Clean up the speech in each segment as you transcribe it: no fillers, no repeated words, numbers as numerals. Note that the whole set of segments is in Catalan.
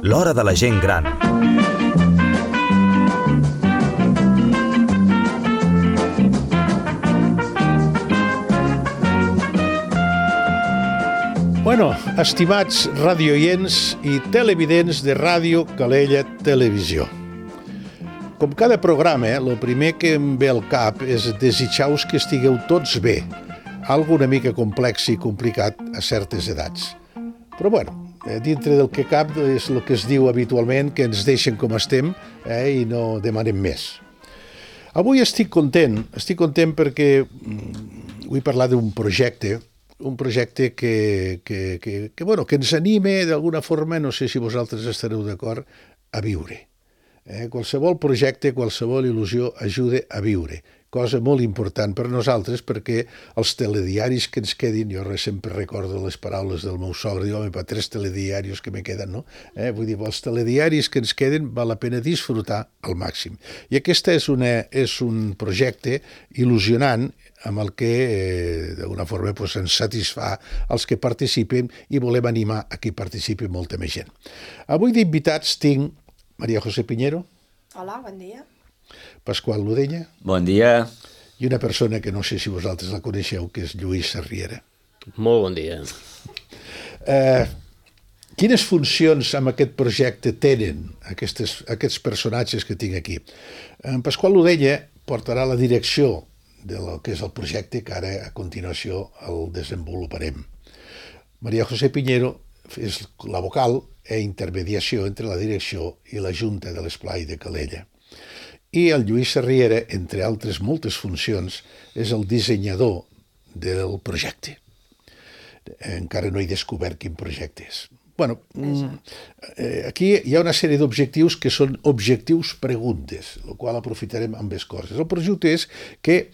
L'hora de la gent gran. Bueno, estimats radioients i televidents de Ràdio Calella Televisió. Com cada programa, el primer que em ve al cap és desitjar-vos que estigueu tots bé, algo una mica complex i complicat a certes edats. Però bueno, dintre del que cap és el que es diu habitualment, que ens deixen com estem i no demanem més. Avui estic content perquè vull parlar d'un projecte que ens anime d'alguna forma, no sé si vosaltres estareu d'acord, a viure. Qualsevol projecte, qualsevol il·lusió ajuda a viure, cosa molt important per nosaltres perquè els telediaris que ens quedin, jo sempre recordo les paraules del meu sogre, diu, home, per 3 telediaris que me queden, no? Vull dir, els telediaris que ens queden val la pena disfrutar al màxim. I aquest és un projecte il·lusionant amb el que d'alguna forma ens satisfà els que participen i volem animar a que participi molta més gent. Avui d'invitats tinc Maria José Piñero. Hola, bon dia. Pasqual Ludenya. Bon dia. I una persona que no sé si vosaltres la coneixeu, que és Lluís Sarriera. Molt bon dia. Quines funcions amb aquest projecte tenen aquests personatges que tinc aquí? En Pasqual Ludenya portarà la direcció del que és el projecte, que ara a continuació el desenvoluparem. Maria José Piñero és la vocal i intermediació entre la direcció i la Junta de l'Esplai de Calella. I el Lluís Sarriera, entre altres moltes funcions, és el dissenyador del projecte. Encara no he descobert quin projecte és. Bueno, aquí hi ha una sèrie d'objectius que són objectius preguntes, el qual aprofitarem amb les coses. El projecte és que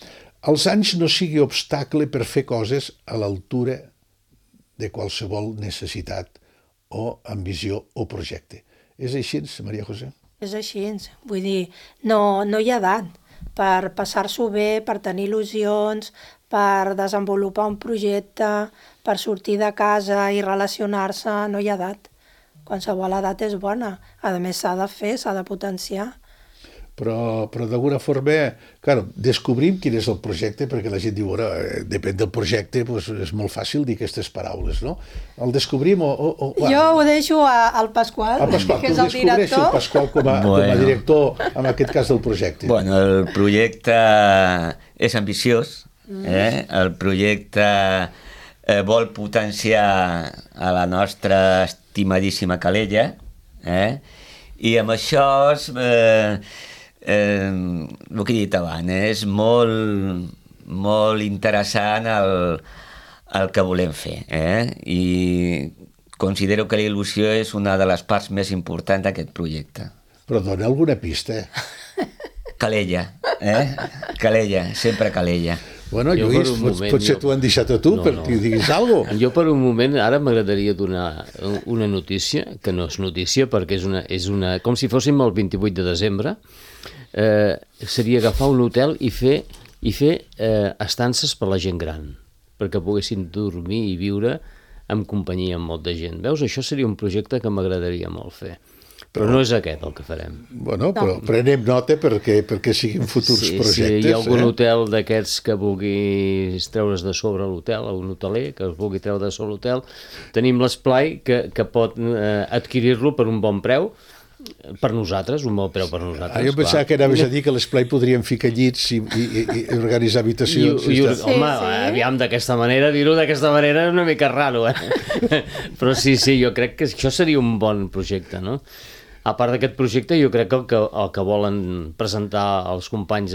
els anys no sigui obstacle per fer coses a l'altura de qualsevol necessitat o ambició o projecte. És així, Maria José? És així, vull dir, no hi ha edat per passar-s'ho bé, per tenir il·lusions, per desenvolupar un projecte, per sortir de casa i relacionar-se, no hi ha edat. Qualsevol edat és bona, a més s'ha de fer, s'ha de potenciar. Però d'alguna forma, claro, descobrim quin és el projecte, perquè la gent diu, bueno, depèn del projecte, doncs és molt fàcil dir aquestes paraules, no? El descobrim o... Jo ho deixo al Pasqual, que és el director. El Pasqual com a director, en aquest cas del projecte. Bueno, el projecte és ambiciós, el projecte vol potenciar a la nostra estimadíssima Calella, i amb això el que he dit abans, és molt interessant el que volem fer, i considero que la il·lusió és una de les parts més importants d'aquest projecte. Però dona alguna pista. Calella, Calella, sempre Calella. Bueno, Lluís, potser t'ho han deixat a tu perquè diguis alguna cosa. Jo per un moment, ara m'agradaria donar una notícia, que no és notícia perquè és una com si fóssim el 28 de desembre, seria agafar un hotel i fer estances per la gent gran, perquè poguessin dormir i viure en companyia amb molta gent. Veus, això seria un projecte que m'agradaria molt fer. Però no és aquest el que farem. Bueno, però prenem nota perquè siguin futurs projectes. Si hi ha algun hotel d'aquests que vulgui treure's de sobre l'hotel, un hoteler que es vulgui treure de sobre l'hotel, tenim l'esplai que pot adquirir-lo per un bon preu, per nosaltres, un bon preu per nosaltres. Jo pensava que anaves a dir que l'esplai podríem ficar llits i organitzar habitacions. Home, aviam, d'aquesta manera, dir-ho d'aquesta manera és una mica raro, Però sí, jo crec que això seria un bon projecte, no? A part d'aquest projecte, jo crec que el que volen presentar els companys,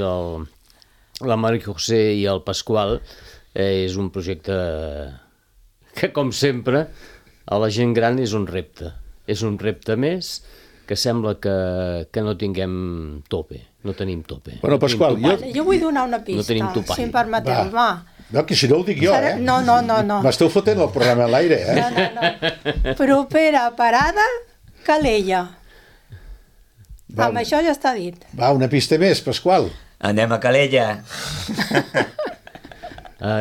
la Maria José i el Pasqual, és un projecte que, com sempre, a la gent gran és un repte. És un repte més que sembla que no tinguem tope, no tenim tope. Bueno, Pasqual, jo vull donar una pista, si em permeteu. No, que si no ho dic jo, No. M'esteu fotent el programa a l'aire, No. Propera parada, Calella. Amb això ja està dit. Va, una pista més, Pasqual. Anem a Calella. Però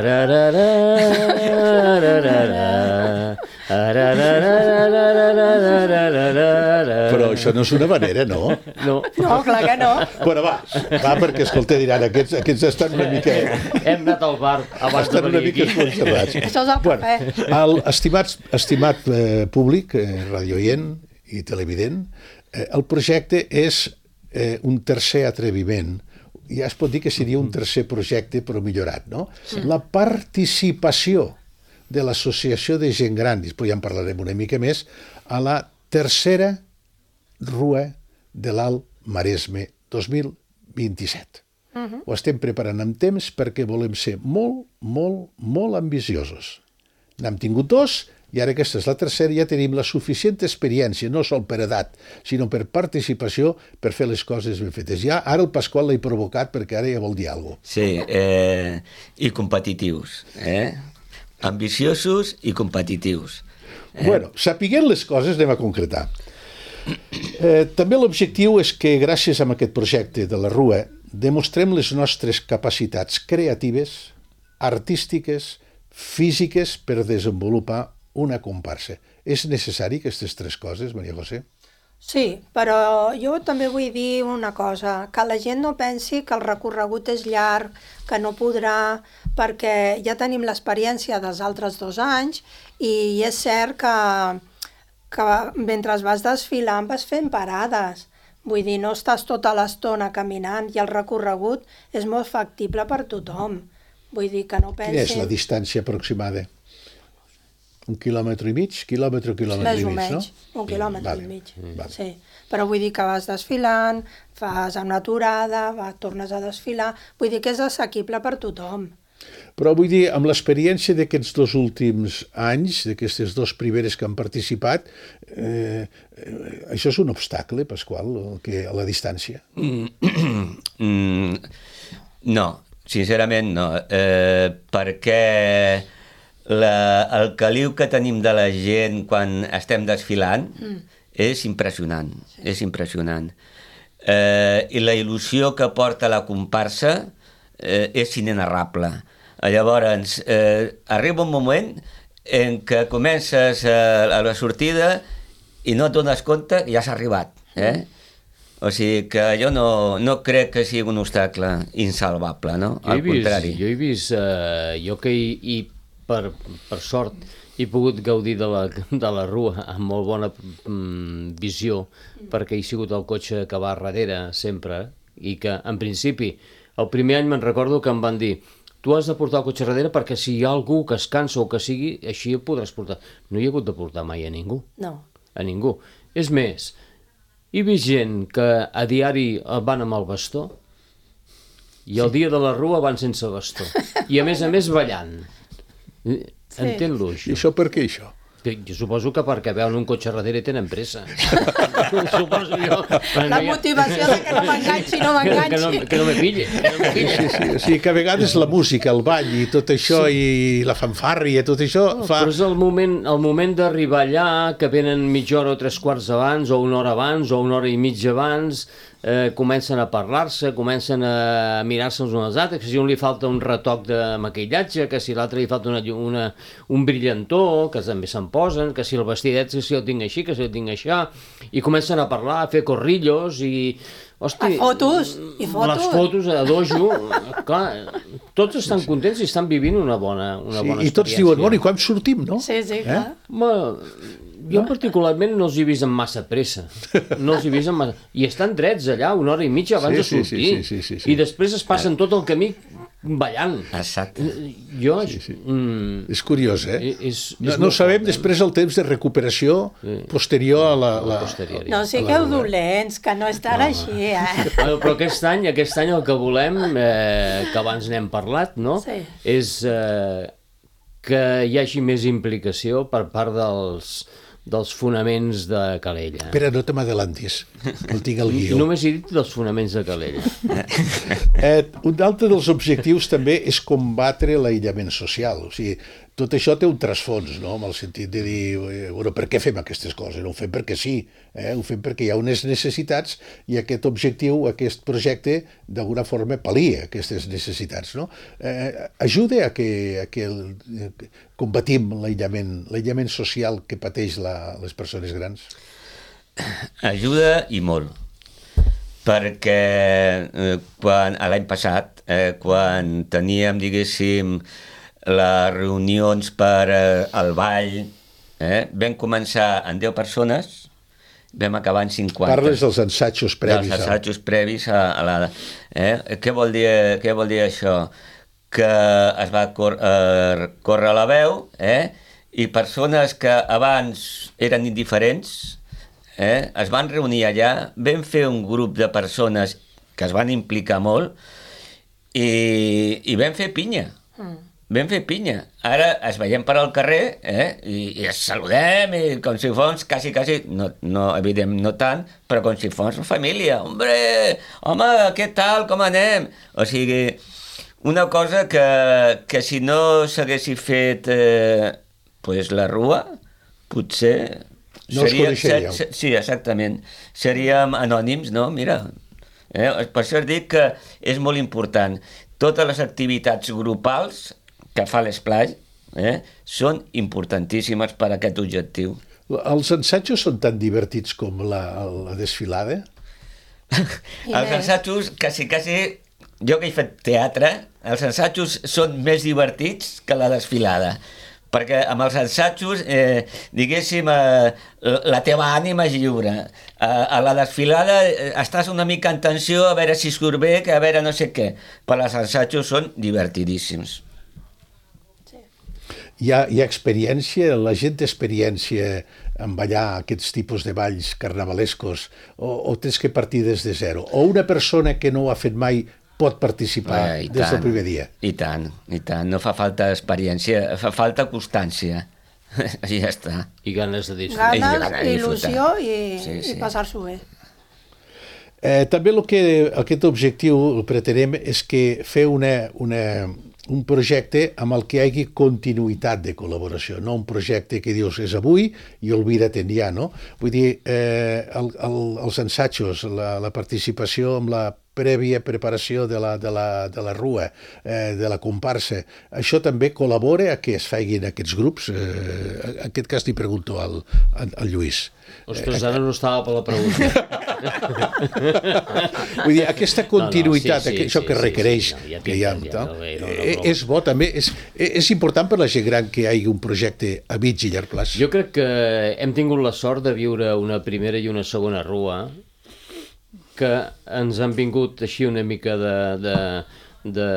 això no és una manera, no? No. No, clar que no. Bueno, va, perquè, escolta, diran, aquests estan una mica... Hem anat al bar abans de Estan una venir mica aquí. esponjats. Això és el cafè. Estimat públic, radioient i televident, el projecte és un tercer atreviment. Ja es pot dir que seria un tercer projecte, però millorat, no? La participació de l'Associació de Gent Gran, després ja en parlarem una mica més, a la tercera Rua de l'Alt Maresme 2027. Ho estem preparant amb temps perquè volem ser molt, molt, molt ambiciosos. N'hem tingut 2 i ara aquesta és la tercera, ja tenim la suficient experiència, no sol per edat, sinó per participació, per fer les coses ben fetes. Ja ara el Pasqual l'he provocat perquè ara ja vol dir alguna cosa. Sí, i competitius, ambiciosos i competitius. Bueno, sapiguent les coses anem a concretar. També l'objectiu és que gràcies a aquest projecte de la Rua demostrem les nostres capacitats creatives, artístiques, físiques per desenvolupar una comparsa. És necessari aquestes 3 coses, Maria José? Sí, però jo també vull dir una cosa, que la gent no pensi que el recorregut és llarg, que no podrà, perquè ja tenim l'experiència dels altres 2 anys i és cert que mentre vas desfilant vas fent parades. Vull dir, no estàs tota l'estona caminant i el recorregut és molt factible per tothom. Vull dir que no pensin... Quina és la distància aproximada? 1 quilòmetre i mig? Quilòmetre i mig, Més o no? menys, 1 quilòmetre i mig. Vale. Sí. Però vull dir que vas desfilant, fas una aturada, tornes a desfilar... Vull dir que és assequible per tothom. Però vull dir, amb l'experiència d'aquests 2 últims anys, d'aquestes 2 primeres que han participat, això és un obstacle, Pasqual, a la distància? No, sincerament no, perquè el caliu que tenim de la gent quan estem desfilant és impressionant, és impressionant. I la il·lusió que porta la comparsa és inenarrable. Llavors, arriba un moment en què comences a la sortida i no et dones compte i ja has arribat. O sigui que jo no crec que sigui un obstacle insalvable, no? Al contrari. Jo he vist, jo que per sort he pogut gaudir de la Rua amb molt bona visió, perquè he sigut el cotxe que va darrere sempre, i que en principi el primer any me'n recordo que em van dir: tu has de portar el cotxe darrere perquè si hi ha algú que es cansa o que sigui, així el podràs portar. No hi he hagut de portar mai a ningú. No. A ningú. És més, he vist gent que a diari van amb el bastó i el dia de la Rua van sense bastó. I a més ballant. Entén-lo, I això. això per què, això? Jo suposo que perquè veuen un cotxe darrere i tenen pressa. Suposo jo. La motivació de que no m'enganxi, no m'enganxi. Que no me pille. Sí. O sigui que a vegades la música, el ball i tot això, i la fanfàrria, tot això fa... Però és el moment d'arribar allà, que venen mitja hora o 3/4 abans, o una hora abans, o una hora i mitja abans, comencen a parlar-se, comencen a mirar-se uns als altres, que si un li falta un retoc de maquillatge, que si l'altre li falta un brillantó, que també se'n posen, que si el vestidet, que si el tinc així, que si el tinc això, i comencen a parlar, a fer corrillos, i... Hosti, fotos, i fotos. Les fotos a dojo, clar, tots estan contents i estan vivint una bona experiència. I tots diuen, bueno, i quan sortim, no? Sí, clar. Jo particularment no els he vist amb massa pressa. No els he vist amb massa... I estan drets allà una hora i mitja abans de sortir. Sí. I després es passen tot el camí ballant. Exacte. Jo... És curiós, És no sabem després el temps de recuperació posterior a la... No sigueu dolents, que no és tan així, Però aquest any el que volem, que abans n'hem parlat, no? Sí. És que hi hagi més implicació per part dels fonaments de Calella. Espera, no te m'adelantis, no tinc el guió. Només he dit dels fonaments de Calella. Un altre dels objectius també és combatre l'aïllament social. O sigui, tot això té un trasfons, no? En el sentit de dir, bueno, per què fem aquestes coses? No ho fem perquè sí, ho fem perquè hi ha unes necessitats i aquest objectiu, aquest projecte, d'alguna forma pal·lia aquestes necessitats, no? Ajuda a que combatim l'aïllament social que pateix les persones grans? Ajuda i molt, perquè l'any passat, quan teníem, diguéssim, les reunions per al ball, vam començar amb 10 persones, vam acabar amb 50. Parles dels assajos previs. Dels assajos previs a la... Què vol dir això? Que es va córrer la veu, i persones que abans eren indiferents es van reunir allà, vam fer un grup de persones que es van implicar molt i vam fer pinya. Vam fer pinya. Ara es veiem per al carrer i es saludem i com si fos quasi, no, evident, no tant, però com si fos família. Home, què tal, com anem? O sigui, una cosa que si no s'haguessi fet pues la rua, potser... No us coneixeríeu. Sí, exactament. Seríem anònims, no? Mira, per això dic que és molt important. Totes les activitats grupals que fa l'Esplai són importantíssimes per a aquest objectiu. Els assajos són tan divertits com la desfilada? Els assajos, quasi, jo que he fet teatre, els assajos són més divertits que la desfilada, perquè amb els assajos, diguéssim, la teva ànima és lliure. A la desfilada estàs una mica en tensió, a veure si surt bé, que a veure no sé què, però els assajos són divertidíssims. Hi ha experiència, la gent té experiència en ballar aquests tipus de balls carnavalescos o tens que partir des de zero? O una persona que no ho ha fet mai pot participar des del primer dia? I tant. No fa falta experiència, fa falta constància. I ja està. I ganes de disfrutar. Ganes, il·lusió i passar-s'ho bé. També aquest objectiu el pretenem és que fer un projecte amb el que hi hagi continuïtat de col·laboració, no un projecte que dius és avui i oblida't ja, no? Vull dir, els assajos, la participació amb la prèvia preparació de la rua, de la comparsa, això també col·labora a que es facin aquests grups? En aquest cas li pregunto al Lluís. Ostres, ara no estava per la pregunta. Vull dir, aquesta continuïtat, això que requereix que hi ha... És bo també, és important per la gent gran que hi hagi un projecte a mig i llarg plaç. Jo crec que hem tingut la sort de viure una primera i una segona rua que ens han vingut així una mica de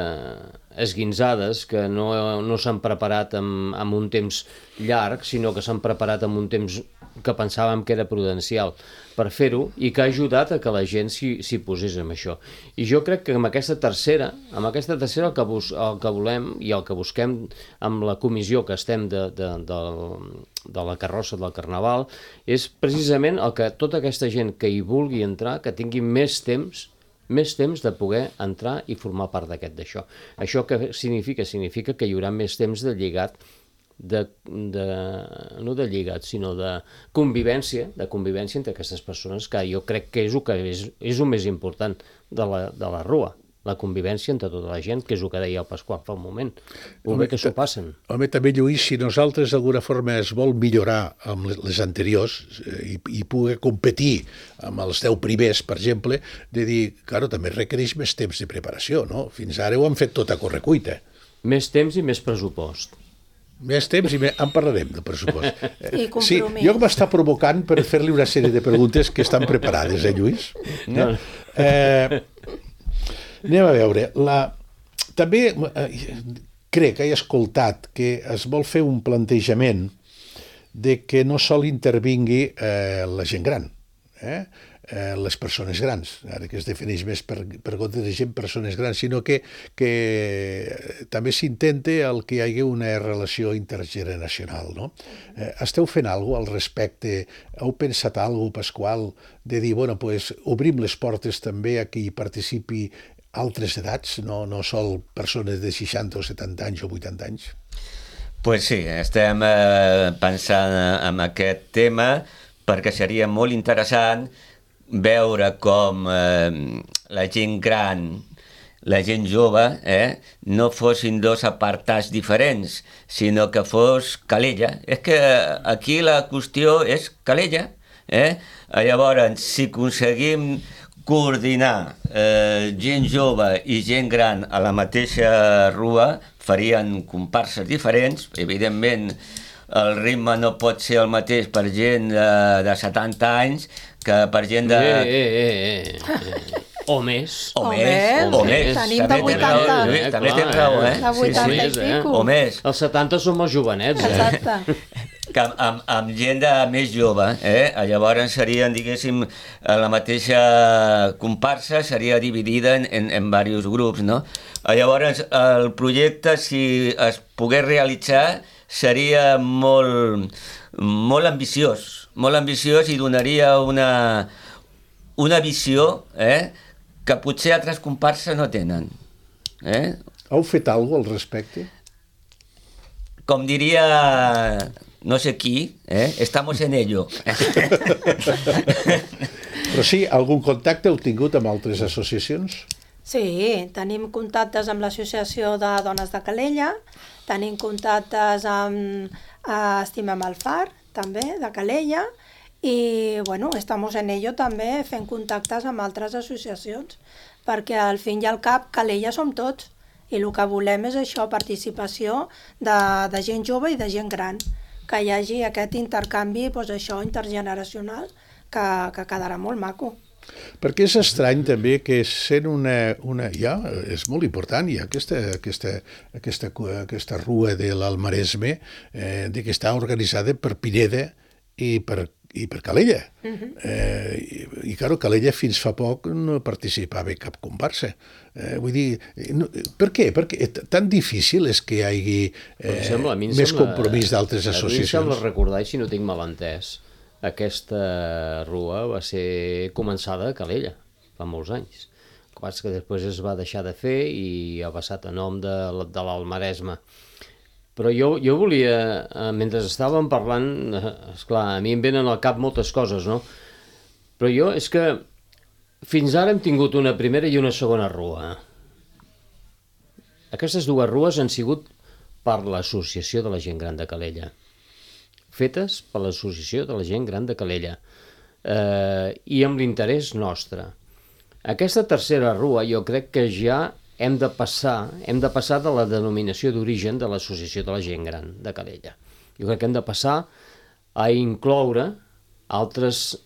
esguinzades, que no s'han preparat amb un temps llarg, sinó que s'han preparat amb un temps que pensàvem que era prudencial per fer-ho i que ha ajudat a que la gent s'hi posés amb això. I jo crec que amb aquesta tercera el que volem i el que busquem amb la comissió que estem de la carrossa del Carnaval és precisament el que tota aquesta gent que hi vulgui entrar, que tingui més temps de poder entrar i formar part d'això. Això què significa? Significa que hi haurà més temps de lligat, no de lligat, sinó de convivència entre aquestes persones, que jo crec que és el més important de la rua, la convivència entre tota la gent, que és el que deia el Pasqual fa un moment. Bé que s'ho passen. Home, també, Lluís, si nosaltres d'alguna forma es vol millorar amb les anteriors i poder competir amb els 10 primers, per exemple, de dir, claro, també requereix més temps de preparació, no? Fins ara ho han fet tot a correcuita. Més temps i més pressupost. Més temps i en parlarem del pressupost. I compromís. Sí, jo m'està provocant per fer-li una sèrie de preguntes que estan preparades, Lluís? No. Anem a veure. També crec que he escoltat que es vol fer un plantejament de que no sol intervingui la gent gran, les persones grans, ara que es defineix més per compte de gent, persones grans, sinó que també s'intenta que hi hagi una relació intergeneracional, no? Esteu fent alguna cosa al respecte? Heu pensat alguna cosa, Pasqual, de dir, bueno, pues, obrim les portes també a que hi participi altres edats, no sol persones de 60 o 70 anys o 80 anys? Pues sí, estem pensant en aquest tema perquè seria molt interessant veure com la gent gran, la gent jove, no fossin dos apartats diferents, sinó que fos Calella. És que aquí la qüestió és Calella. Llavors, si aconseguim coordinar gent jove i gent gran a la mateixa rua, farien comparses diferents. Evidentment, el ritme no pot ser el mateix per gent de 70 anys que per gent de... O més. O més. Tenim de 80. També tens raó, De 80 i pico. O més. Els 70 som els jovenets, Exacte. Que amb gent de més jove, llavors serien, diguéssim, la mateixa comparsa seria dividida en diversos grups, no? Llavors, el projecte, si es pogués realitzar, seria molt ambiciós i donaria una visió que potser altres comparses no tenen. Heu fet alguna cosa al respecte? Com diria no sé qui, estamos en ello. Però sí, algun contacte heu tingut amb altres associacions? Sí, tenim contactes amb l'Associació de Dones de Calella, tenim contactes amb Estimem el Far, també, de Calella, i, bueno, estamos en ello també fent contactes amb altres associacions, perquè al fin i al cap Calella som tots, i el que volem és això, participació de gent jove i de gent gran, que hi hagi aquest intercanvi, doncs això, intergeneracional, que quedarà molt maco. Perquè és estrany també que sent ja, és molt important, hi ha aquesta rua de l'Almaresme que està organitzada per Pineda i per Calella. I clar, Calella fins fa poc no participava en cap comparsa. Vull dir, per què? Perquè tan difícil és que hi hagi més compromís d'altres associacions. A mi em sembla recordar, si no tinc mal entès, aquesta rua va ser començada a Calella, fa molts anys. El que passa que després es va deixar de fer i ha passat a nom de l'Almaresme. Però jo volia, mentre estàvem parlant, esclar, a mi em venen al cap moltes coses, no? Però jo és que fins ara hem tingut una primera i una segona rua. Aquestes dues rues han sigut per l'Associació de la Gent Gran de Calella, fetes per l'Associació de la Gent Gran de Calella, i amb l'interès nostre. Aquesta tercera rua jo crec que ja hem de passar de la denominació d'origen de l'Associació de la Gent Gran de Calella. Jo crec que hem de passar a incloure altres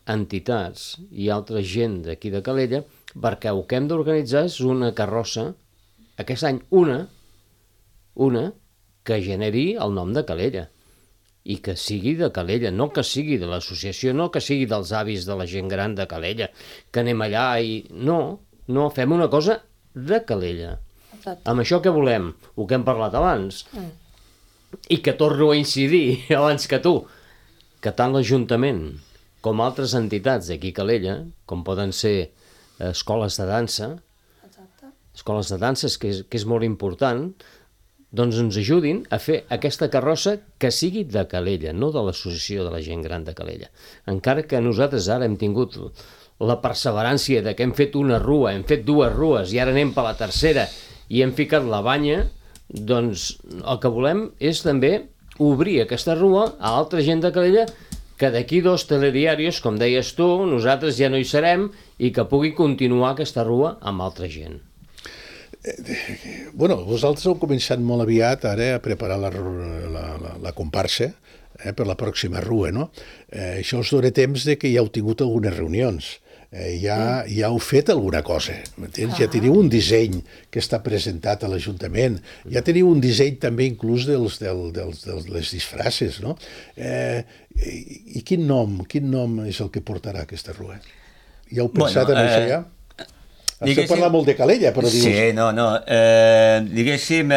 entitats i altra gent d'aquí de Calella, perquè el que hem d'organitzar és una carrossa, aquest any una que generi el nom de Calella i que sigui de Calella, no que sigui de l'associació, no que sigui dels avis de la gent gran de Calella, que anem allà i... No, fem una cosa de Calella. Exacte. Amb això què volem? El que hem parlat abans. I que torno a incidir abans que tu, que tant l'Ajuntament com altres entitats d'aquí a Calella, com poden ser escoles de dansa, escoles de danses, que és molt important, doncs ens ajudin a fer aquesta carrossa que sigui de Calella, no de l'Associació de la Gent Gran de Calella. Encara que nosaltres ara hem tingut la perseverància de que hem fet una rua, hem fet dues rues i ara anem per la tercera i hem ficat la banya, doncs el que volem és també obrir aquesta rua a altra gent de Calella que d'aquí 2 telediaris, com deies tu, nosaltres ja no hi serem i que pugui continuar aquesta rua amb altra gent. Bueno, vosaltres heu començat molt aviat ara a preparar la comparsa per la pròxima rua, no? Això us dona temps de que ja heu tingut algunes reunions, ja heu fet alguna cosa, m'entens? Ja teniu un disseny que està presentat a l'Ajuntament, ja teniu un disseny també inclús de les disfraces, no? I quin nom és el que portarà aquesta rua? Ja heu pensat en això ja? Has parlat molt de Calella, però dius... Sí, no. Diguéssim,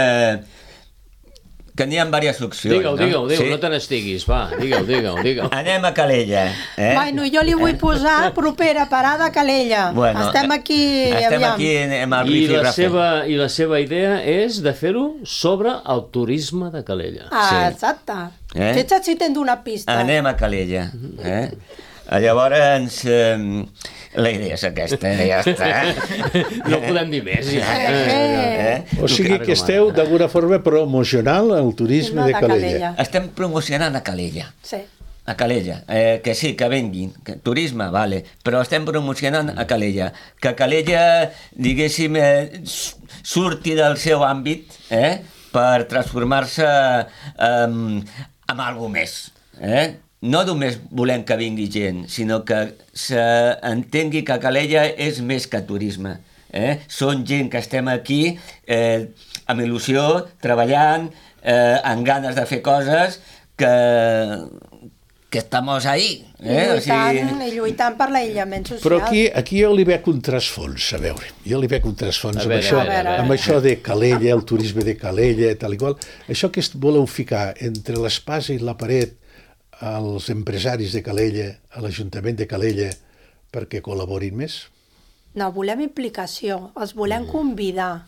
que n'hi ha diverses opcions. Digue'l, Sí? no te n'estiguis, va, digue'l. Anem a Calella. Bueno, jo li vull posar propera parada a Calella. Bueno, estem aquí, estem aviam. aquí amb el I rifirrafe. la seva idea és de fer-ho sobre el turisme de Calella. Ah, exacte. Fixa't si te'n donar pista. Anem a Calella. Llavors, la idea és aquesta, ja està. No podem dir més. O sigui que esteu d'alguna forma promocionant el turisme de Calella. Estem promocionant a Calella. Sí. A Calella, que sí, que venguin, que turisme, vale, però estem promocionant a Calella, que Calella, diguéssim, surti del seu àmbit per transformar-se en alguna més. No només volem que vingui gent, sinó que s'entengui que Calella és més que turisme. Són gent que estem aquí amb il·lusió, treballant, amb ganes de fer coses, que estamos ahí. I lluitant per l'aïllament social. Però aquí jo li veig un trasfons, a veure. Jo li veig un trasfons amb això de Calella, el turisme de Calella, tal i qual. Això que voleu ficar entre l'espasa i la paret als empresaris de Calella, a l'Ajuntament de Calella, perquè col·laborin més? No, volem implicació, els volem convidar,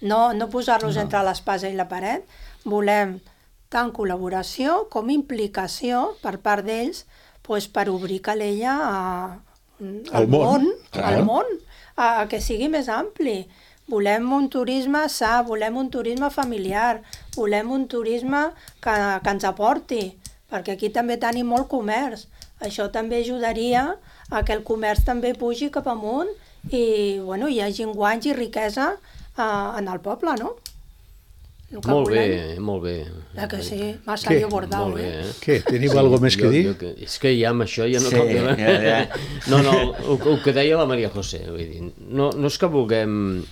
no posar-los entre l'espasa i la paret, volem tant col·laboració com implicació per part d'ells per obrir Calella al món, a que sigui més ampli. Volem un turisme sa, volem un turisme familiar, volem un turisme que ens aporti, perquè aquí també tenim molt comerç. Això també ajudaria a que el comerç també pugi cap amunt i hi hagi guanys i riquesa en el poble, no? Molt bé. Que sí, massa allò bordau, Què, teniu alguna més que dir? És que ja amb això ja no cal dir. No, el que deia la Maria José, vull dir, no és que vulguem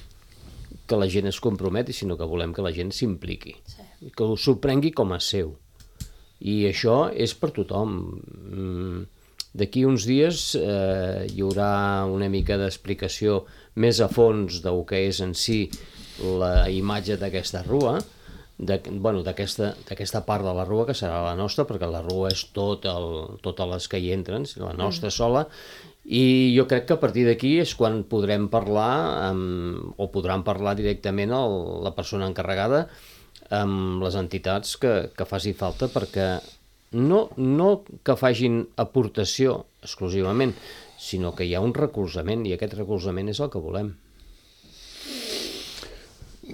que la gent es comprometi, sinó que volem que la gent s'impliqui, que s'ho prengui com a seu. I això és per tothom. D'aquí uns dies hi haurà una mica d'explicació més a fons del que és en si la imatge d'aquesta rua, d'aquesta part de la rua que serà la nostra, perquè la rua és totes les que hi entren, la nostra sola, i jo crec que a partir d'aquí és quan podrem parlar, o podran parlar directament la persona encarregada amb les entitats que faci falta, perquè no que facin aportació exclusivament, sinó que hi ha un recolzament, i aquest recolzament és el que volem.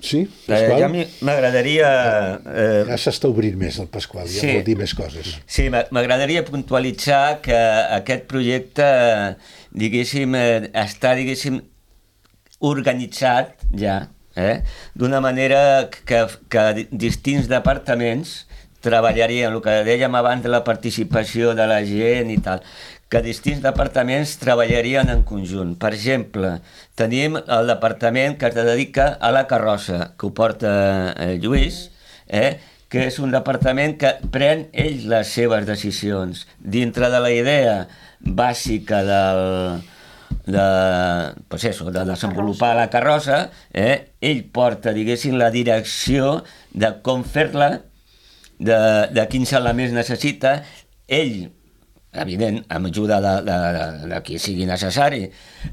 Sí, Pasqual? Ja m'agradaria... Ja s'està obrint més el Pasqual, ja vol dir més coses. Sí, m'agradaria puntualitzar que aquest projecte, diguéssim, està, organitzat ja, d'una manera que distints departaments treballarien, el que dèiem abans de la participació de la gent i tal, que distints departaments treballarien en conjunt. Per exemple, tenim el departament que es dedica a la carrossa, que ho porta Lluís, que és un departament que pren ell les seves decisions. Dintre de la idea bàsica de desenvolupar la carrossa, ell porta, la direcció de com fer-la, de quins elements necessita. Ell, evident, amb ajuda de qui sigui necessari,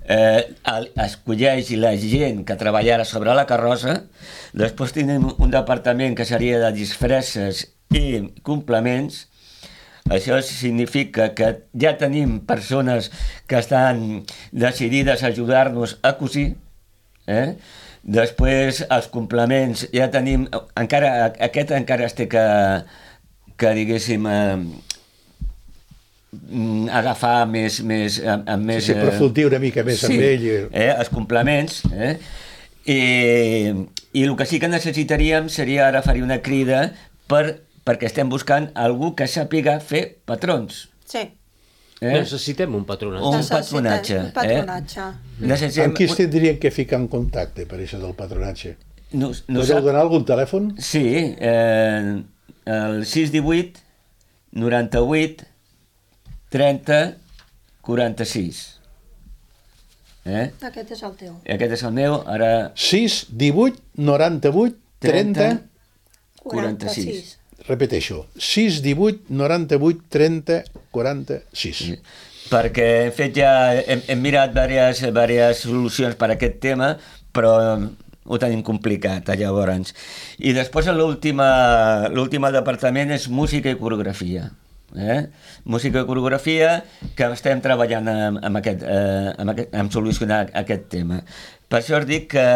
escolleix la gent que treballarà sobre la carrossa. Després tenim un departament que seria de disfresses i complements. Això significa que ja tenim persones que estan decidides a ajudar-nos a cosir. Després, els complements, ja tenim... Aquest encara es té que diguéssim... agafar més... Sí, aprofundir una mica més amb ell. Els complements. I el que sí que necessitaríem seria ara fer una crida perquè estem buscant algú que sàpiga fer patrons. Sí. Necessitem un patronatge. Un patronatge. Amb qui es tindrien que ficar en contacte per això del patronatge? Podeu donar algun telèfon? Sí, el 618 98 30 46. Aquest és el teu. Aquest és el meu, ara... 6 18 98 30 46. Repeteixo, 6, 18, 98, 30, 46. Perquè hem fet ja, hem mirat diverses solucions per a aquest tema, però ho tenim complicat, llavors. I després l'últim departament és música i coreografia. Música i coreografia, que estem treballant en solucionar aquest tema. Per això us dic que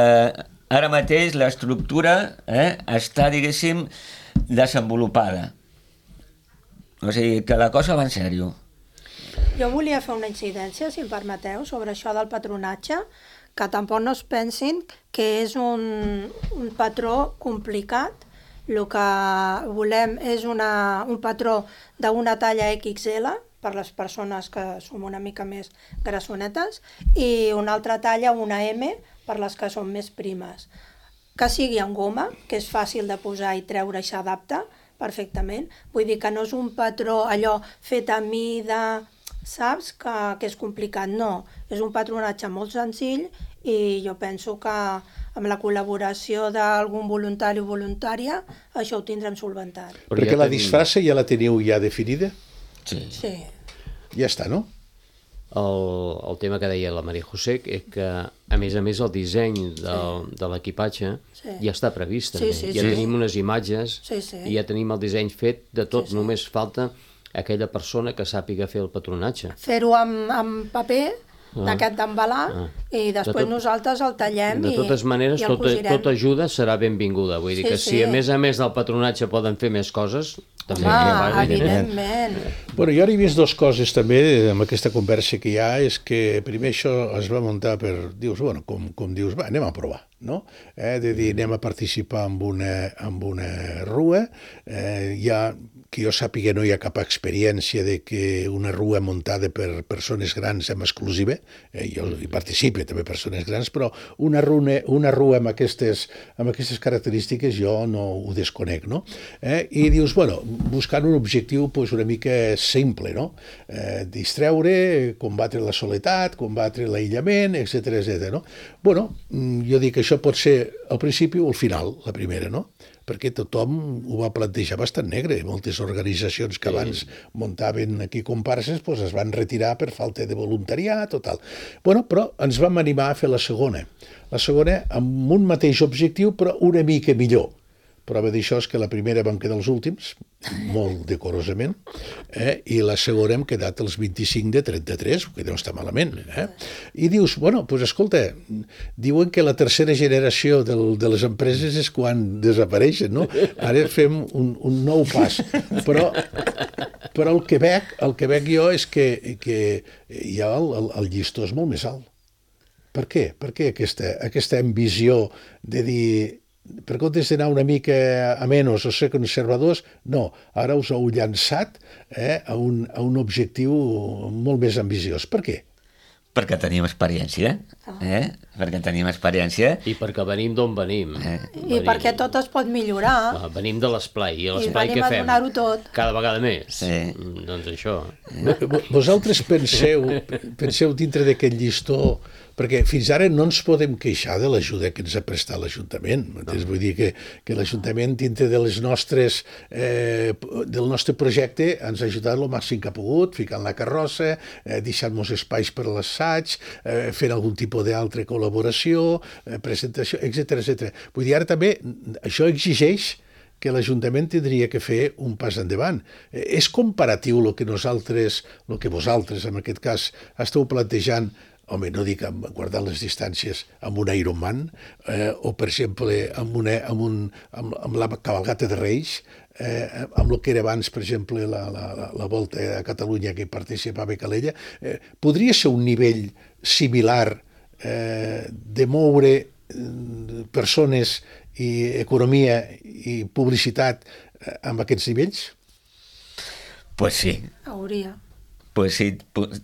ara mateix l'estructura està, diguéssim, desenvolupada. O sigui, que la cosa va en sèrio. Jo volia fer una incidència, si em permeteu, sobre això del patronatge, que tampoc no es pensin que és un patró complicat. El que volem és un patró d'una talla XL, per les persones que som una mica més grassonetes, i una altra talla, una M, per les que són més primes. Que sigui en goma, que és fàcil de posar i treure i s'adapta perfectament. Vull dir que no és un patró allò fet a mida, saps, que és complicat. No, és un patronatge molt senzill i jo penso que amb la col·laboració d'algun voluntari o voluntària això ho tindrem solventat. Perquè la disfressa ja la teniu ja definida? Sí. Ja està, no? El tema que deia la Maria José és que, a més, el disseny de l'equipatge ja està previst. Ja tenim unes imatges i ja tenim el disseny fet de tot. Només falta aquella persona que sàpiga fer el patronatge. Fer-ho amb paper, d'aquest d'embalar, i després nosaltres el tallem i el cosirem. De totes maneres, tota ajuda serà benvinguda. Vull dir que si a més del patronatge poden fer més coses, també. Evidentment. Bueno, jo ara he vist dues coses també amb aquesta conversa que hi ha, és que primer això es va muntar per, dius, bueno, com dius, va, anem a provar, no? De dir, anem a participar en una rua, ja que jo sàpiga no hi ha cap experiència de que una rua muntada per persones grans en exclusiva, jo hi participo també persones grans, però una rua amb aquestes característiques jo no ho desconec, no? I dius, bueno, buscant un objectiu pues, una mica simple, no? Distreure, combatre la soledat, combatre l'aïllament, etc. No? Bueno, jo dic que això pot ser al principi o al final, la primera, no? Perquè tothom ho va plantejar bastant negre. Moltes organitzacions que abans muntaven aquí comparses pues es van retirar per falta de voluntariat o tal. Bueno, però ens vam animar a fer la segona. La segona amb un mateix objectiu però una mica millor. Prova d'això és que la primera vam quedar els últims, molt decorosament, i la segona hem quedat els 25 de 33, que no està malament. I dius, bueno, doncs escolta, diuen que la tercera generació de les empreses és quan desapareixen, no? Ara fem un nou pas. Però el que veig jo és que ja el llistó és molt més alt. Per què? Per què aquesta ambició de dir per comptes d'anar una mica a menys o ser conservadors, no, ara us heu llançat a un objectiu molt més ambiciós. Per què? Perquè tenim experiència, perquè tenim experiència. I perquè venim d'on venim. I perquè tot es pot millorar. Venim de l'esplai, i l'esplai què fem? I venim a donar-ho tot. Cada vegada més. Sí. Doncs això. Vosaltres penseu dintre d'aquest llistó, perquè fins ara no ens podem queixar de l'ajuda que ens ha prestat l'Ajuntament. Vull dir que l'Ajuntament dintre del nostre projecte ens ha ajudat el màxim que ha pogut, ficant la carrossa, deixant-nos espais per a l'assaig, fent algun tipus d'altra col·laboració, presentació, etc. Vull dir, ara també això exigeix que l'Ajuntament tindria que fer un pas endavant. És comparatiu el que vosaltres, en aquest cas, esteu plantejant, home, no dic guardant les distàncies, amb un Ironman, o, per exemple, amb la cavalgata de Reis, amb el que era abans, per exemple, la Volta a Catalunya que participava Calella, podria ser un nivell similar de moure persones i economia i publicitat amb aquests nivells? Pues sí. Hauria. Pues sí,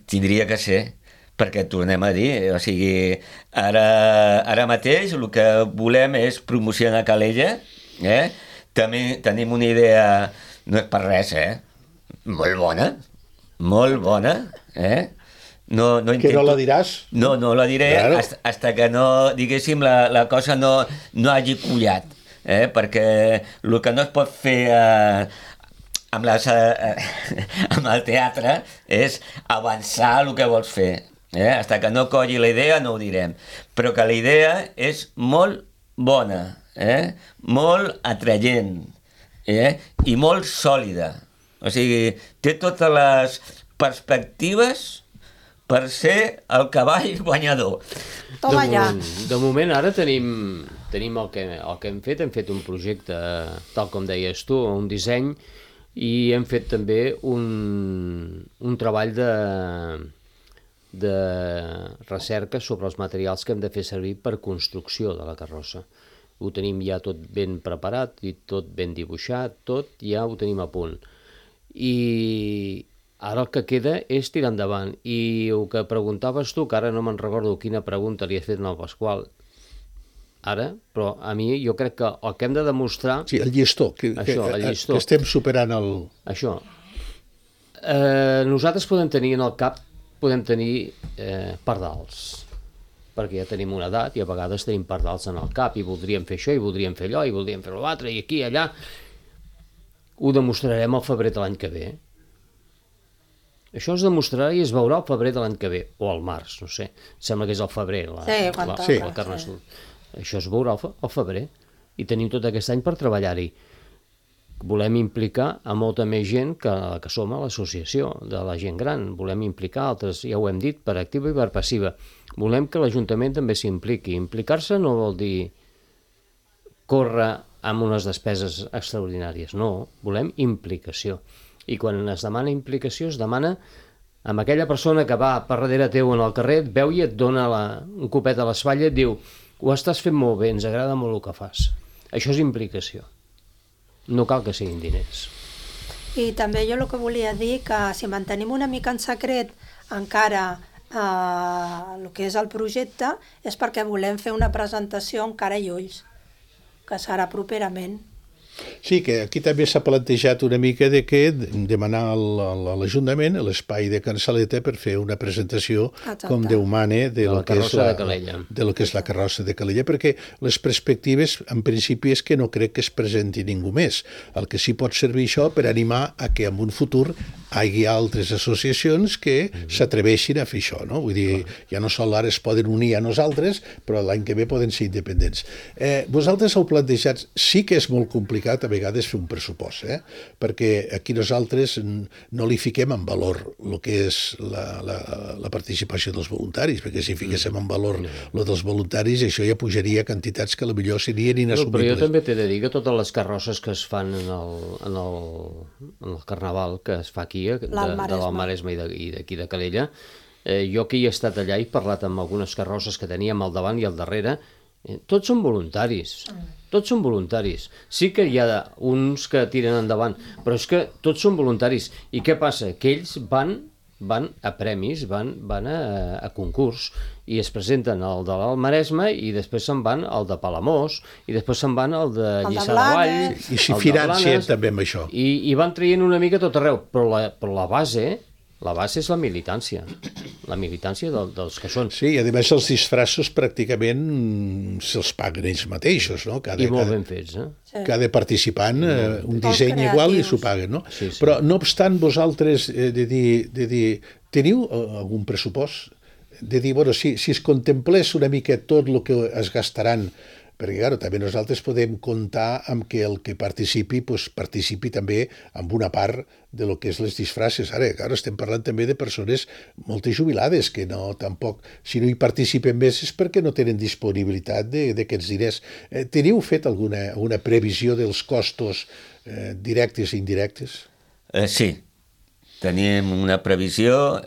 tindria que ser, perquè tornem a dir, o sigui, ara mateix el que volem és promocionar Calella, també tenim una idea, no és per res, molt bona, No intento... Que no la diràs? No la diré, claro. Hasta que no, diguéssim, la cosa no hagi collat. perquè el que no es pot fer amb el teatre és avançar el que vols fer. Fins que no colli la idea no ho direm, però que la idea és molt bona, molt atraient i molt sòlida. O sigui, té totes les perspectives per ser el cavall guanyador. Toma ja. De moment ara tenim el que hem fet un projecte, tal com deies tu, un disseny, i hem fet també un treball de recerca sobre els materials que hem de fer servir per construcció de la carrossa. Ho tenim ja tot ben preparat i tot ben dibuixat, tot ja ho tenim a punt. I ara el que queda és tirar endavant. I el que preguntaves tu, que ara no me'n recordo quina pregunta li has fet al Pasqual, ara, però a mi jo crec que el que hem de demostrar... Sí, el llistó, que estem superant el... Això. Nosaltres podem tenir en el cap, pardals, perquè ja tenim una edat i a vegades tenim pardals en el cap i voldríem fer això i voldríem fer allò i voldríem fer l'altre i aquí i allà. Ho demostrarem al febrer de l'any que ve. Això es demostrarà i es veurà al febrer de l'any que ve, o al març, no sé. Sembla que és al febrer, el Carnestoltes. Això es veurà al febrer i tenim tot aquest any per treballar-hi. Volem implicar a molta més gent que som a l'associació de la gent gran. Volem implicar altres, ja ho hem dit, per activa i per passiva. Volem que l'Ajuntament també s'impliqui. Implicar-se no vol dir córrer amb unes despeses extraordinàries. No, volem implicació. I quan es demana implicació, es demana amb aquella persona que va per darrere teu en el carrer, et veu i et dona un copet a l'espatlla i et diu: ho estàs fent molt bé, ens agrada molt el que fas. Això és implicació. No cal que siguin diners. I també jo el que volia dir que si mantenim una mica en secret encara el que és el projecte és perquè volem fer una presentació amb cara i ulls, que serà properament. Sí, que aquí també s'ha plantejat una mica de que demanar a l'Ajuntament l'espai de Can Saleta per fer una presentació com Déu mane de lo que és la carrossa de Calella, perquè les perspectives en principi és que no crec que es presenti ningú més. El que sí pot servir això per animar a que en un futur hi hagi altres associacions que s'atreveixin a fer això, no? Vull dir, ja no sol ara es poden unir a nosaltres, però l'any que ve poden ser independents. Vosaltres heu plantejat, sí que és molt complicat a vegades fer un pressupost, perquè aquí nosaltres no li fiquem en valor el que és la participació dels voluntaris, perquè si fiquéssim en valor el dels voluntaris, això ja pujaria quantitats que potser serien inassumibles. Però jo també t'he de dir que totes les carrosses que es fan en el carnaval que es fa aquí, de l'Almaresme i d'aquí de Calella, jo que hi he estat allà i parlat amb algunes carrosses que teníem al davant i al darrere, tots són voluntaris. Tots són voluntaris. Sí que hi ha uns que tiren endavant, però és que tots són voluntaris. I què passa? Que ells van a premis, van a concurs i es presenten al de l'Almaresme i després se'n van al de Palamós i després se'n van al de Lliçà de Vall. I s'hi financen també amb això. I van traient una mica tot arreu, però la base és la militància dels que són. Sí, i a més els disfraços pràcticament se'ls paguen ells mateixos, no? I molt ben fets, Cada participant un disseny igual i s'ho paguen, no? Sí. Però no obstant vosaltres de dir, teniu algun pressupost? De dir, bueno, si es contemplés una mica tot el que es gastaran, perquè, clar, també nosaltres podem comptar amb que el que participi participi també amb una part de lo que és les disfraces. Ara, clar, estem parlant també de persones moltes jubilades que no, tampoc, si no hi participen més és perquè no tenen disponibilitat d'aquests diners. Teniu fet alguna previsió dels costos directes i indirectes? Sí, tenim una previsió.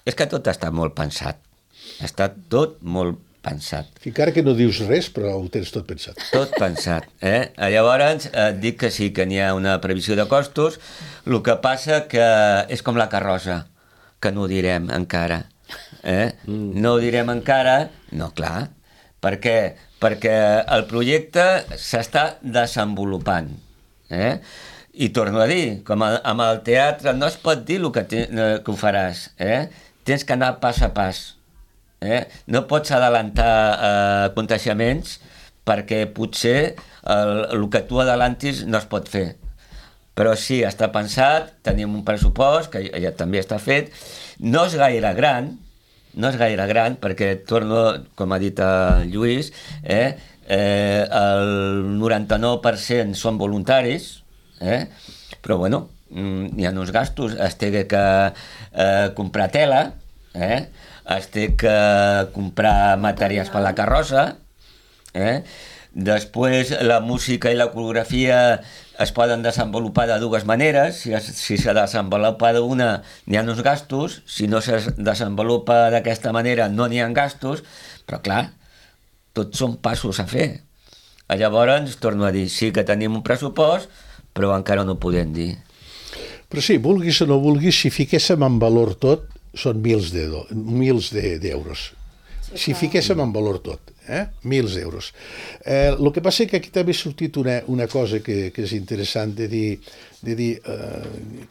És que tot està molt pensat. Està tot molt pensat. Encara que no dius res, però ho tens tot pensat. Tot pensat. Llavors, et dic que sí, que n'hi ha una previsió de costos. El que passa que és com la carrossa, que no ho direm encara. No ho direm encara, no, clar. Per què? Perquè el projecte s'està desenvolupant. I torno a dir, com amb el teatre, no es pot dir el que ho faràs. Tens que anar pas a pas. No pots adelantar aconteixements perquè potser el que tu adelantis no es pot fer. Però sí, està pensat, tenim un pressupost, que ja també està fet, no és gaire gran, perquè torno, com ha dit el Lluís, el 99% són voluntaris, però bueno, hi ha uns gastos, es té que comprar tela, es té que comprar materials per la carrossa, després la música i la coreografia es poden desenvolupar de dues maneres. Si se desenvolupa d'una, n'hi ha uns gastos, si no se desenvolupa d'aquesta manera no n'hi ha gastos, però clar, tots són passos a fer. Llavors, torno a dir, sí que tenim un pressupost, però encara no ho podem dir. Però sí, vulguis o no vulguis, si fiquéssim en valor tot, són milers d'euros. Si fiquéssim en valor tot, milers d'euros. El que passa és que aquí també ha sortit una cosa que és interessant de dir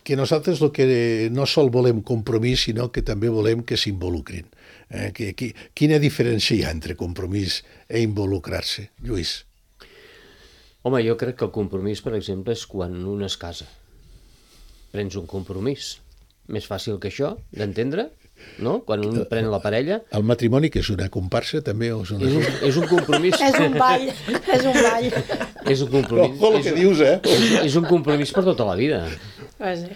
que nosaltres el que no sol volem compromís, sinó que també volem que s'involucrin. Quina diferència hi ha entre compromís i involucrar-se, Lluís? Home, jo crec que el compromís, per exemple, és quan un es casa. Prens un compromís. Més fàcil que això, d'entendre? No? Quan un pren la parella... El matrimoni, que és una comparsa, també? O és un compromís... És un ball. És un compromís... Ojo, el que dius, És un compromís per tota la vida. Sí.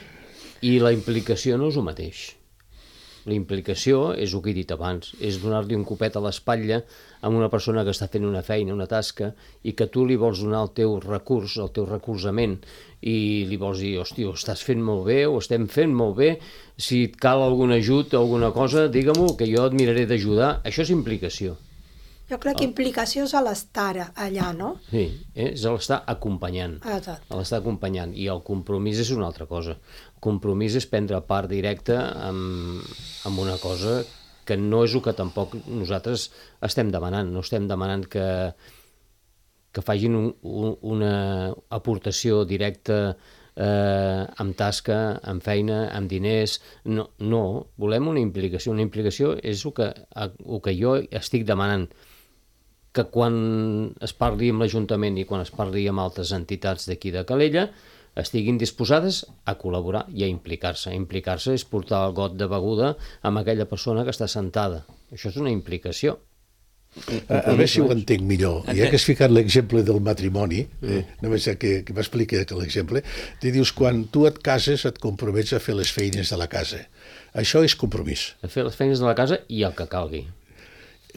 I la implicació no és el mateix. La implicació és el que he dit abans, és donar-li un copet a l'espatlla a una persona que està fent una feina, una tasca, i que tu li vols donar el teu recurs, el teu recolzament, i li vols dir, hòstia, ho estàs fent molt bé, ho estem fent molt bé, si et cal algun ajut o alguna cosa, digue-m'ho, que jo et miraré d'ajudar. Això és implicació. Jo crec que implicació és l'estar allà, no? Sí, és l'estar acompanyant. Exacte. L'estar acompanyant. I el compromís és una altra cosa. El compromís és prendre part directa amb una cosa que no és el que tampoc nosaltres estem demanant. No estem demanant que facin una aportació directa amb tasca, amb feina, amb diners. No, volem una implicació. Una implicació és el que jo estic demanant, que quan es parli amb l'Ajuntament i quan es parli amb altres entitats d'aquí de Calella estiguin disposades a col·laborar i a implicar-se. Implicar-se és portar el got de beguda amb aquella persona que està sentada. Això és una implicació. A veure si ho entenc millor. Ja que has ficat l'exemple del matrimoni, només que m'expliqui l'exemple, te dius, quan tu et cases et compromets a fer les feines de la casa. Això és compromís. A fer les feines de la casa i el que calgui.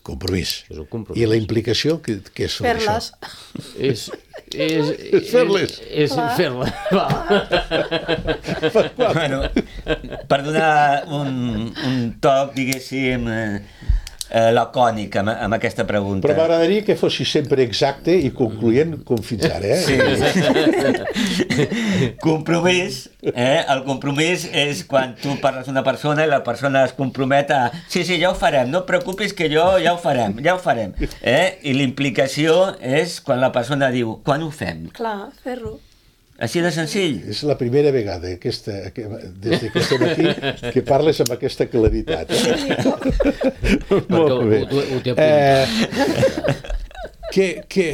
Compromís. És un compromís. I la implicació, què és sobre Fer-les. això? És fer-les. És fer-les. Bueno, per donar un toc, diguéssim, lacònic amb aquesta pregunta. Però m'agradaria que fossis sempre exacte i concloent com fins ara, Sí. Compromís, el compromís és quan tu parles d'una persona i la persona es compromet a sí, ja ho farem, no et preocupis que ja ho farem. I l'implicació és quan la persona diu, quan ho fem? Clar, fer-ho. Així de senzill. És la primera vegada des que estem aquí que parles amb aquesta claritat. Molt bé. Ho té apuntat.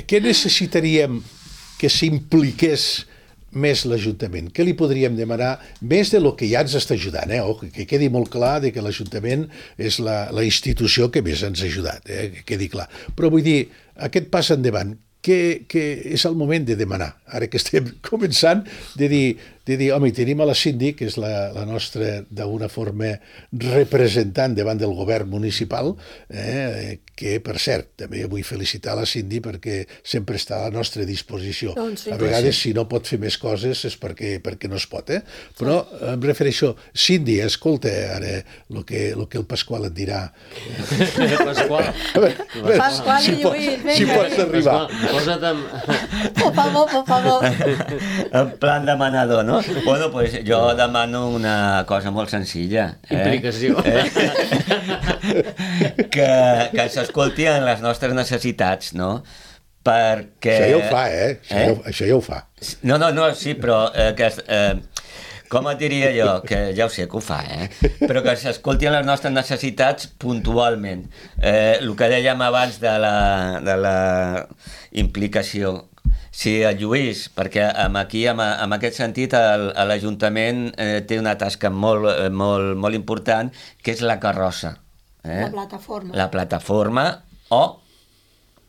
Què necessitaríem que s'impliqués més l'Ajuntament? Què li podríem demanar més de lo que ja ens està ajudant? Que quedi molt clar que l'Ajuntament és la institució que més ens ha ajudat, que quedi clar. Però vull dir, aquest pas endavant, que és el moment de demanar, ara que estem començant, de dir, home, tenim a la Cindy, que és la nostra, d'una forma, representant davant del govern municipal, que, per cert, també vull felicitar la Cindy perquè sempre està a la nostra disposició. Doncs sí. A vegades, si no pot fer més coses, és perquè no es pot, Però em refereixo, Cindy, escolta ara el que el Pasqual et dirà. Pasqual i Lluís, vinga. Si pots arribar. Posa't amb... Por favor. En plan demanador, no? Bueno, pues jo demano una cosa molt senzilla. Implicació. Que s'escolti en les nostres necessitats, no? Perquè... Això ja ho fa, Això ja ho fa. No, sí, però com et diria jo? Que ja ho sé que ho fa, però que s'escolti en les nostres necessitats puntualment. El que dèiem abans de la implicació. Sí, el Lluís, perquè aquí, en aquest sentit, l'Ajuntament té una tasca molt important, que és la carrossa. La plataforma. La plataforma, o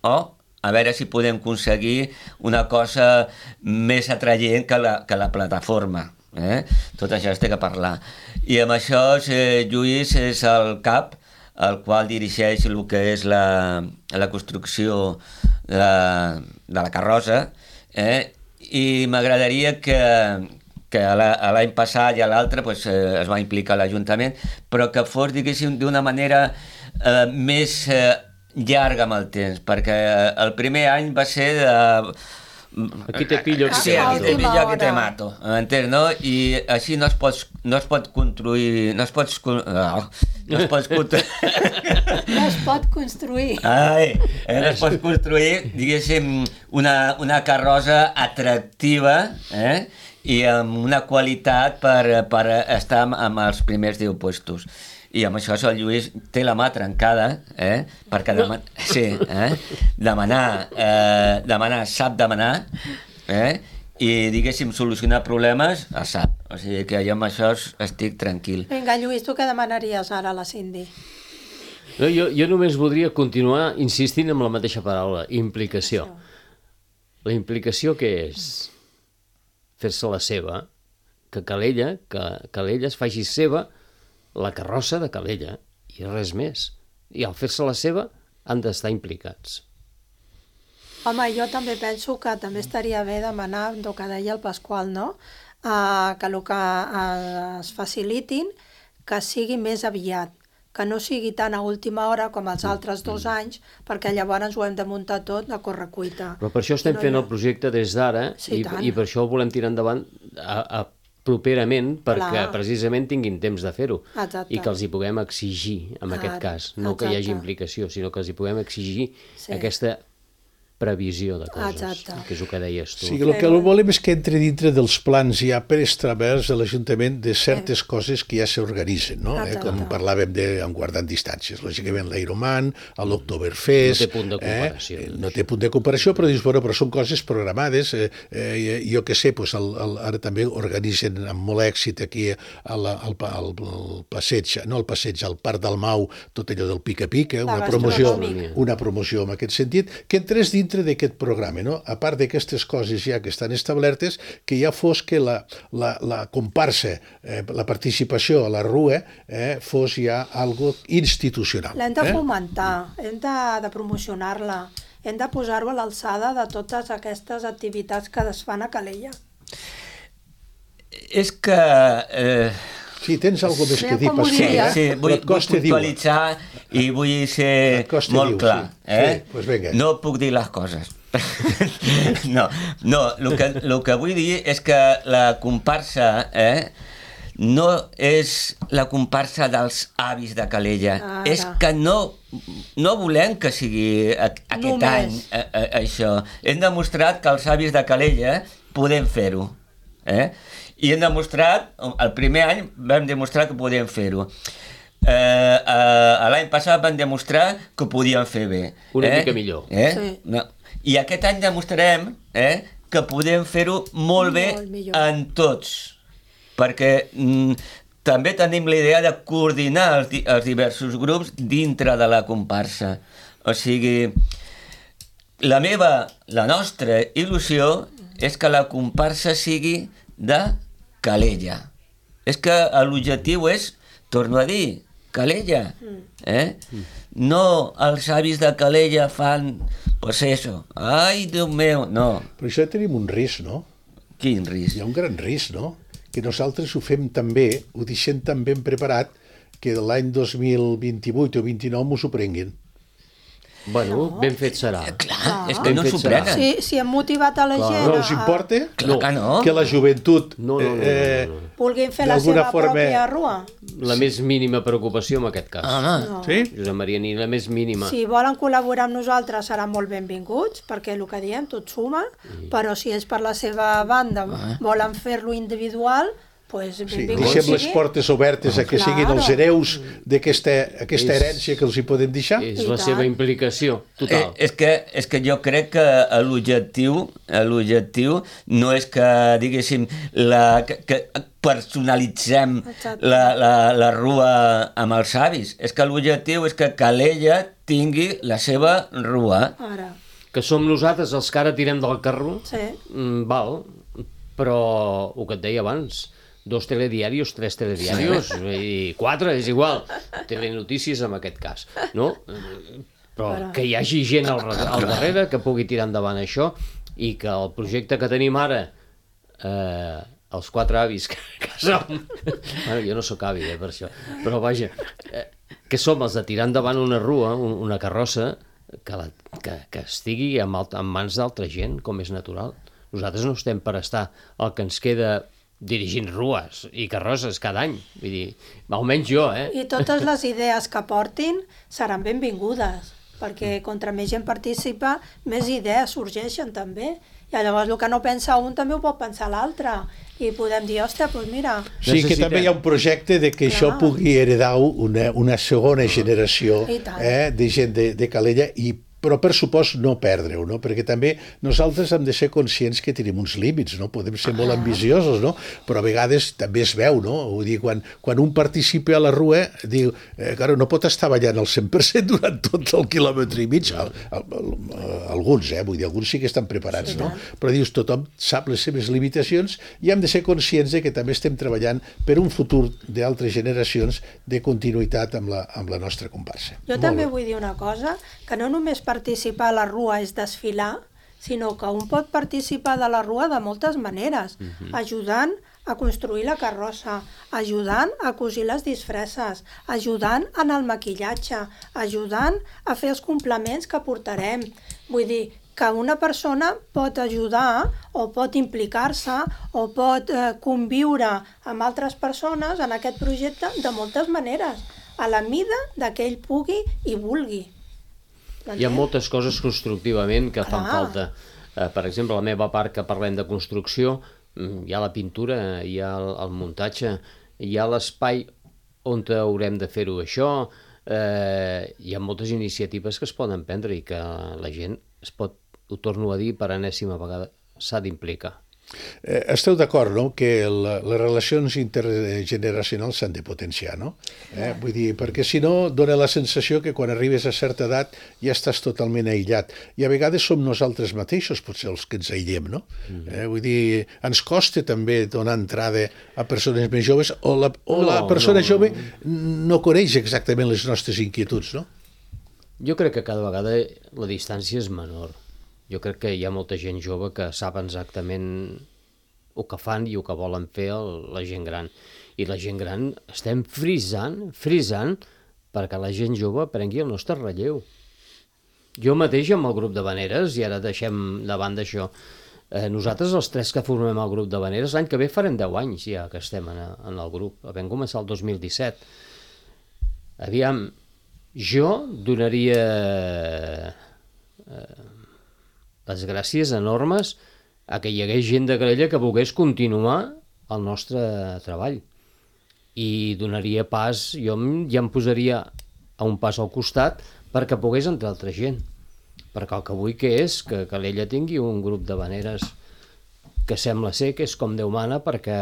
a veure si podem aconseguir una cosa més atraient que la plataforma. Tot això es té que parlar. I amb això Lluís és el cap, el qual dirigeix el que és la construcció de la carrossa, i m'agradaria que l'any passat i a l'altre es va implicar l'Ajuntament, però que fos, diguéssim, d'una manera més llarga amb el temps, perquè el primer any va ser de... Aquí te pillo, aquí sí, aquí te pillo, aquí te mato, m'entens, no? I així no es pot construir, no es pot construir, diguéssim, una carrossa atractiva, i amb una qualitat per estar amb els primers 10 puestos. I amb això el Lluís té la mà trencada, perquè demanar sap demanar, i, diguéssim, solucionar problemes sap. O sigui que jo amb això estic tranquil. Vinga, Lluís, tu què demanaries ara a la Cindy? No, jo només voldria continuar insistint en la mateixa paraula, implicació. La implicació què és? Fer-se la seva, que Calella es faci seva la carrossa de Calella, i res més. I al fer-se la seva han d'estar implicats. Home, jo també penso que també estaria bé demanar, el que deia el Pasqual, no? Que el que es facilitin, que sigui més aviat, que no sigui tan a última hora com els altres 2 anys, perquè llavors ho hem de muntar tot a correcuita. Però per això estem fent el projecte des d'ara, i per això ho volem tirar endavant properament, perquè precisament tinguin temps de fer-ho, i que els hi puguem exigir, en aquest cas, no que hi hagi implicació, sinó que els hi puguem exigir aquesta previsió de coses, que és el que deies tu. Sí, el que volem és que entre dintre dels plans ja preestablerts de l'Ajuntament de certes coses que ja s'organitzen, no? Com parlàvem amb guardant distàncies, lògicament l'Ironman, l'Oktoberfest... No té punt de comparació. No té punt de comparació, però dius, però són coses programades. Jo què sé, ara també organitzen amb molt èxit aquí al passeig, no al passeig, al Parc del Mau, tot allò del pica-pica, una promoció en aquest sentit, que entrés dintre d'aquest programa, no? A part d'aquestes coses ja que estan establertes, que ja fos que la comparsa, la participació a la rua, fos ja algo institucional. L'hem de fomentar, hem de promocionar-la, hem de posar-ho a l'alçada de totes aquestes activitats que es fan a Calella. És que... Sí, tens alguna més que dir, Pasqual. Sí, vull puntualitzar i vull ser molt clar. No puc dir les coses. No, el que vull dir és que la comparsa no és la comparsa dels avis de Calella. És que no volem que sigui aquest any això. Hem demostrat que els avis de Calella podem fer-ho. I hem demostrat, el primer any vam demostrar que podíem fer-ho. L'any passat vam demostrar que ho podíem fer bé. Una mica millor. I aquest any demostrarem que podem fer-ho molt bé en tots, perquè també tenim la idea de coordinar els diversos grups dintre de la comparsa. O sigui, la nostra il·lusió és que la comparsa sigui de Calella. És que l'objectiu és, torno a dir, Calella. No els avis de Calella fan, pues eso, ai, Déu meu, no. Però això tenim un risc, no? Quin risc? Hi ha un gran risc, no? Que nosaltres ho fem tan bé, ho deixem tan ben preparat, que l'any 2028 o 2029 mos ho prenguin. Bueno, ben fet serà. Clar, és que no s'ho prenen. Si hem motivat a la gent... No els importa que la joventut vulguin fer la seva pròpia rua? La més mínima preocupació en aquest cas. Sí? Josep Maria, ni la més mínima. Si volen col·laborar amb nosaltres seran molt benvinguts, perquè el que diem tot suma, però si és per la seva banda volen fer-lo individual, pues Sí, benvingut deixem les sigui. portes obertes a que siguin els hereus d'aquesta herència que els hi podem deixar. És I la tant. seva implicació total. És que jo crec que l'objectiu no és que, diguéssim, que personalitzem Exacte. la rua amb els avis. És que l'objectiu és que Calella tingui la seva rua. Ara, Que som nosaltres els que ara tirem del carro, sí. Val, però el que et deia abans, 2 telediaris, 3 telediaris, i 4, és igual, telenotícies en aquest cas, no? Però que hi hagi gent al darrere que pugui tirar endavant això i que el projecte que tenim ara, els 4 avis que som, bueno, jo no sóc avi, per això, però vaja, que som els de tirar endavant una rua, una carrossa, que estigui en mans d'altra gent, com és natural. Nosaltres no estem per estar el que ens queda dirigint rues i carrosses cada any. Vull dir, almenys jo, I totes les idees que portin seran benvingudes, perquè contra més gent participa, més idees sorgeixen també. I llavors el que no pensa un també ho pot pensar l'altre. I podem dir, ostres, doncs mira... Sí, que també hi ha un projecte de que això pugui heredar una segona generació I tant. de gent de Calella però per supost no perdre-ho, no? Perquè també nosaltres hem de ser conscients que tenim uns límits, no? Podem ser molt ambiciosos, no? Però a vegades també es veu, no? Vull dir, quan un participa a la rua, diu, claro, no pot estar ballant al 100% durant tot el quilòmetre i mig, alguns, vull dir, alguns sí que estan preparats, no? Però dius, tothom sap les seves limitacions i hem de ser conscients de que també estem treballant per un futur d'altres generacions de continuïtat amb la nostra comparsa. Jo també vull dir una cosa, que no només participar a la rua és desfilar, sinó que un pot participar de la rua de moltes maneres, ajudant a construir la carrossa, ajudant a cosir les disfresses, ajudant en el maquillatge, ajudant a fer els complements que portarem. Vull dir, que una persona pot ajudar o pot implicar-se o pot conviure amb altres persones en aquest projecte de moltes maneres, a la mida que ell pugui i vulgui. Hi ha moltes coses constructivament que fan falta. Per exemple, la meva part que parlem de construcció, hi ha la pintura, hi ha el muntatge, hi ha l'espai on haurem de fer-ho això, hi ha moltes iniciatives que es poden prendre i que la gent es pot, ho torno a dir per enèsima vegada, s'ha d'implicar. Esteu d'acord, no?, que les relacions intergeneracionals s'han de potenciar, no? Vull dir, perquè si no dona la sensació que quan arribes a certa edat ja estàs totalment aïllat. I a vegades som nosaltres mateixos potser els que ens aïllem, no? Vull dir, ens costa també donar entrada a persones més joves o la persona jove no coneix exactament les nostres inquietuds, no? Jo crec que cada vegada la distància és menor. Jo crec que hi ha molta gent jove que sap exactament el que fan i el que volen fer la gent gran. I la gent gran estem frisant perquè la gent jove prengui el nostre relleu. Jo mateix amb el grup de Veneres, i ara deixem de banda això, nosaltres els 3 que formem el grup de Veneres, l'any que ve farem 10 anys ja que estem en el grup. Vam començar el 2017. Aviam, jo donaria les gràcies enormes a que hi hagués gent de Calella que volgués continuar el nostre treball. I donaria pas, jo ja em posaria a un pas al costat perquè pogués entrar altra gent. Perquè el que vull que és que Calella tingui un grup de Veneres que sembla ser que és com Déu mana, perquè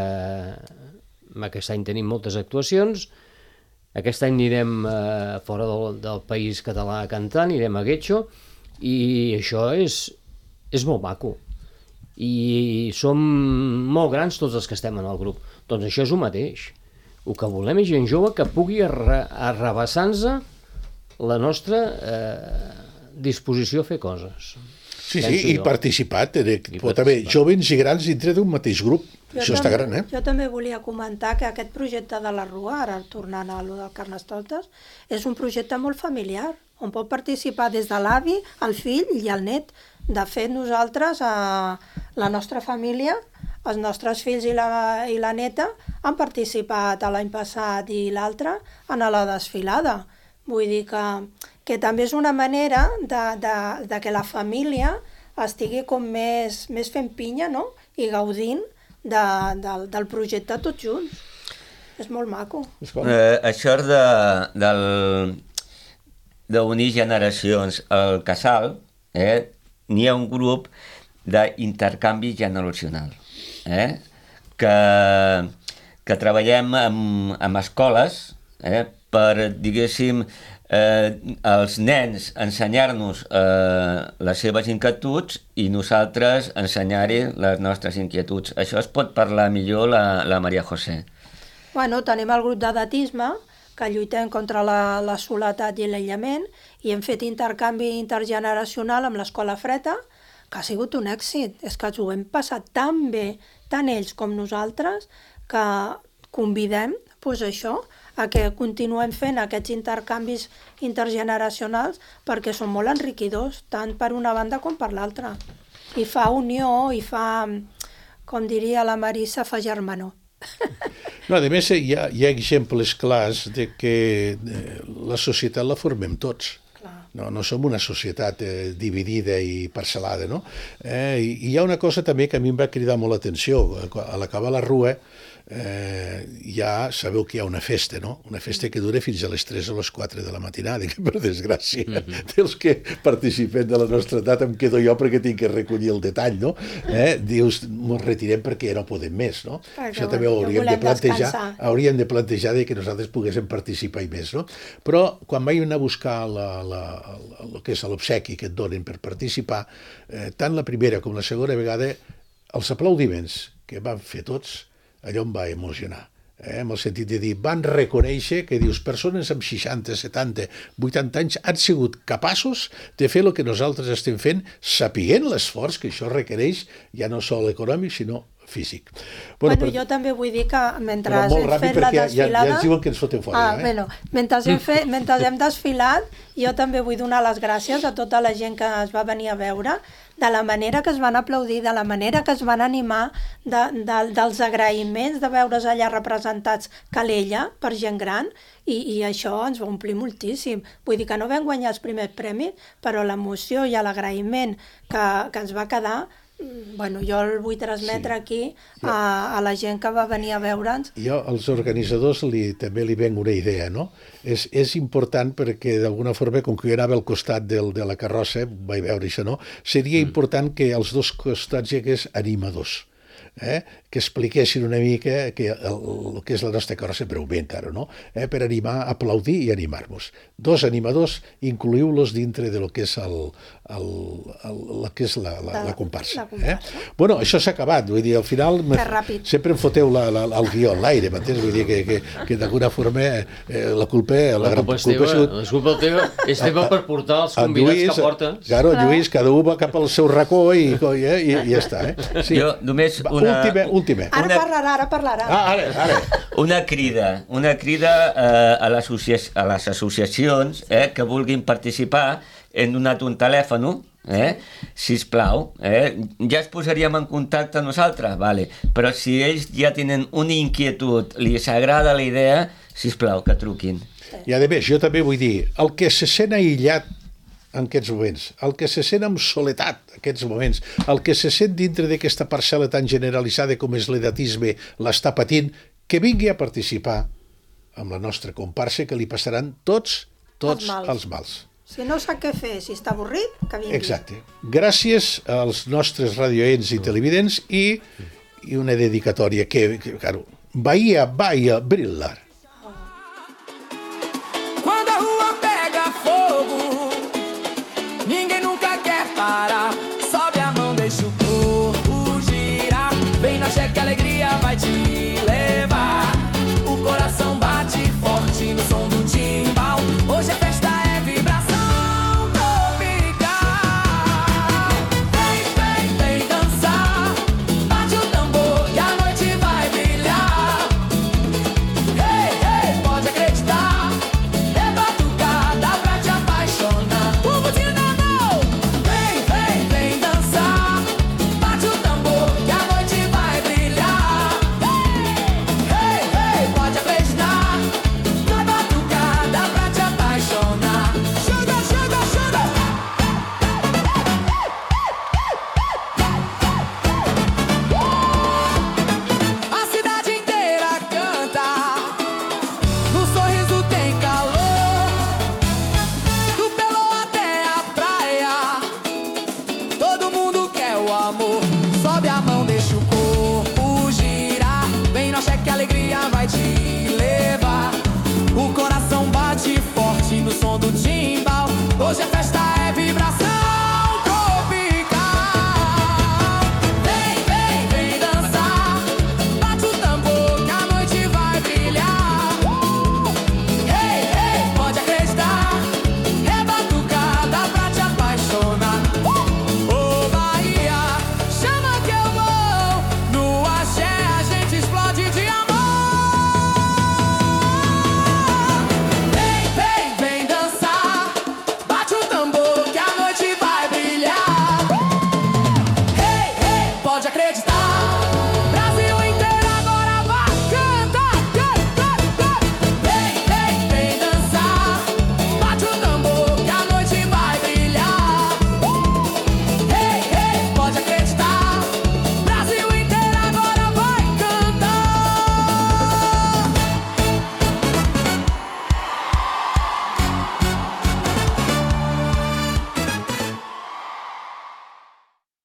aquest any tenim moltes actuacions, aquest any anirem fora del país català a cantar, anirem a Guecho, i això és molt maco. I som molt grans tots els que estem en el grup. Doncs això és el mateix. El que volem és gent jove que pugui arrabassar-nos la nostra disposició a fer coses. Sí, i participar. Pot haver jóvens i grans dintre d'un mateix grup. Això està gran, Jo també volia comentar que aquest projecte de la Rua, ara tornant a allò del Carnestoltes, és un projecte molt familiar, on pot participar des de l'avi, el fill i el net. De fet, nosaltres, la nostra família, els nostres fills i la neta, han participat l'any passat i l'altre en la desfilada. Vull dir que també és una manera de que la família estigui com més fent pinya, no?, i gaudint del projecte tots junts. És molt maco. Això d'unir generacions al casal, n'hi ha un grup d'intercanvi generacional, que treballem amb escoles per, diguéssim, els nens ensenyar-nos les seves inquietuds i nosaltres ensenyar-hi les nostres inquietuds. Això es pot parlar millor la Maria José. Bueno, tenim el grup d'edatisme, que lluitem contra la soledat i l'aïllament, i hem fet intercanvi intergeneracional amb l'Escola Freda, que ha sigut un èxit. És que ens ho hem passat tan bé, tant ells com nosaltres, que convidem això, a que continuem fent aquests intercanvis intergeneracionals perquè són molt enriquidors, tant per una banda com per l'altra. I fa unió, i fa, com diria la Marissa, fa germanor. No, a més, hi ha exemples clars de que la societat la formem tots. No som una societat dividida i parcel·lada, no? I hi ha una cosa també que a mi em va cridar molt l'atenció. A l'acabar la rua ja sabeu que hi ha una festa, no? Una festa que dura fins a les 3 o les 4 de la matinada, que per desgràcia dels que participen de la nostra edat em quedo jo perquè tinc que recollir el detall, no? Dius, ens retirem perquè ja no podem més, no? Això també ho hauríem de plantejar que nosaltres poguéssim participar i més, no? Però quan vaig anar a buscar el que és l'obsequi que et donen per participar, tant la primera com la segona vegada, els aplaudiments que van fer tots, allò em va emocionar, en el sentit de dir, van reconèixer que dius, persones amb 60, 70, 80 anys han sigut capaços de fer el que nosaltres estem fent, sapiguent l'esforç que això requereix, ja no sol econòmic, sinó físic. Jo també vull dir que mentre hem fet la desfilada... Ja ens diuen que ens fotem fora. Mentre hem desfilat, jo també vull donar les gràcies a tota la gent que es va venir a veure, de la manera que es van aplaudir, de la manera que es van animar, dels agraïments de veure's allà representats Calella per gent gran, i això ens va omplir moltíssim. Vull dir que no vam guanyar els primers premis, però l'emoció i l'agraïment que ens va quedar, jo el vull transmetre aquí a la gent que va venir a veure'ns. Jo als organitzadors també li venc una idea, no? És important perquè d'alguna forma, com que jo anava al costat de la carrossa, vaig veure això, no? Seria important que als dos costats hi hagués animadors, que expliquessin una mica el que és la nostra carrossa, breument ara, no? Per animar, aplaudir i animar-nos. Dos animadors, incluïu-los dintre de lo que és la comparsa. Bueno, això s'ha acabat, vull dir, al final sempre em foteu el guió en l'aire, m'entens? Vull dir que d'alguna forma la culpa és teva, és teva per portar els convidats que porta. Claro, Lluís, cada un va cap al seu racó i ja està. Jo només última. Ara parlarà. Ara. Una crida a les associacions que vulguin participar. Hem donat un telèfon, sisplau, ja es posaríem en contacte amb nosaltres, vale. Però si ells ja tenen una inquietud, li agrada la idea, sisplau, que truquin. I a més, jo també vull dir, el que se sent aïllat en aquests moments, el que se sent amb soledat en aquests moments, el que se sent dintre d'aquesta parcel·la tan generalitzada com és l'edatisme, l'està patint, que vingui a participar amb la nostra comparsa, que li passaran tots els mals. Si no sap què fer, si està avorrit, que vingui. Exacte. Gràcies als nostres radioents i televidents i una dedicatòria que claro, Bahia brillar. Quando a rua pega fogo, ninguém nunca quer parar. Sobe a mão, deixa o corpo girar. Vem na cheque, a alegria vai te levar. O coração bate forte no som do timbal. Hoje é festa. Hey! alegria vai te levar. O coração bate forte no som do timbal. Hoje é